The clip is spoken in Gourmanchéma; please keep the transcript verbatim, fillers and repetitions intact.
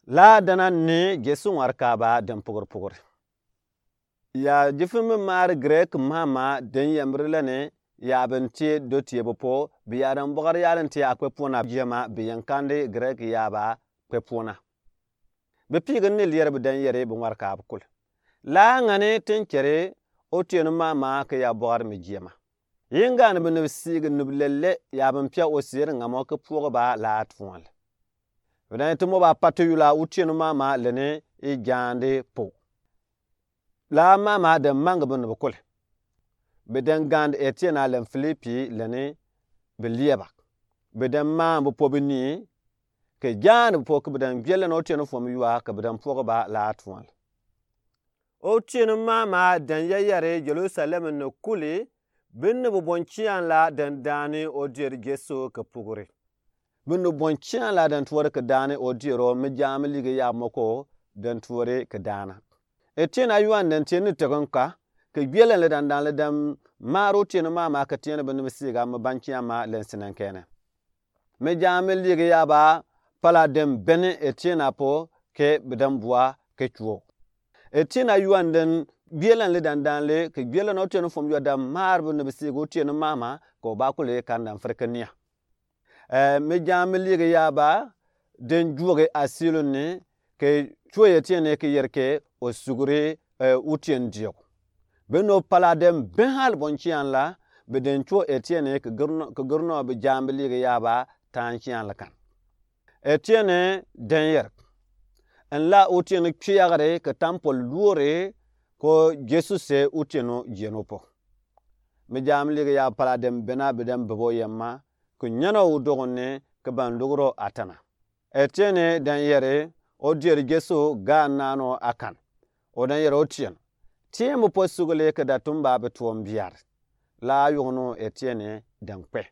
La dana ni Jesu ŋwarkaaba den pugiri pugiri. Ya jifi mi maari Grek mama den yemri lani ya bin tie do tie bi po, bi ya dan bogari ya dan tie akpe pona jema bi yankandi Grek ya ba kpe pona. Bi pigi ni lier bi dan yeri bi ŋwarkaaba kul. La ŋani tin keri Otieno mama ki ya bogari mi jema. Yinga ni bi ni bi siigi ni bi lele ya bin pia o siri ŋamo ki puogi ba la tuɔl. Bi dan ti mo ba pati yula Otieno mama lani i jandi po. La mama den mangi bi ni bi kuli. Bi den gandi Etiena lani Filipi lani bi lieba. Bi den mangi bi po bi ni ki jandi bi po ki bi den gbie lani Otieno fom yua ki bi den puogi ba la tuɔl. Otieno mama den yeyeri Jerusalem ni kuli, bi ni bi bon kian la den daani odier Jesu ki pugiri. Bi ni bon kian la den tuori ki daani odier o mi jami ligi ya moko den tuori ki daana. Etiena yuan den tieni tekin ka ki gbie lani li dan dan li den maari Otieno mama ki tieni bi ni bi siiga mi ban kian ma lani sinen kene. Mi jami ligi ya ba pala den beni Etiena po ke bi dan bua ke cuo. Etiena yuan den gbie lani li dan dan li ke gbie lani Otieno fom yua dan maari bi ni bi siigi Otieno mama ko ba kuli kan dan firi ke nia. Eh, mi jami ligi ya ba den juogi asilo ni ke cuo Etiena ke yer ke o suguri, eh, Otieno diok. Bi no pala den ben hal bon kian la bi den cuo Etiena ke giri no, ke giri no bi jami ligi ya ba tan kian la kan. Etiena den yer. En la Otieno kpiagiri ke tampol luori ko Jesu se Otieno jieno po. Mi jami ligi ya pala den bena bi den bebo yema ke nyeno o dogon ni ke ban luguro atana. Etiena den yeri odier Jesu ga nano akan. O den yeri Otieno. Tiembo po sugule ke datumba bi tuom biar. La yugno Etiena den kpe.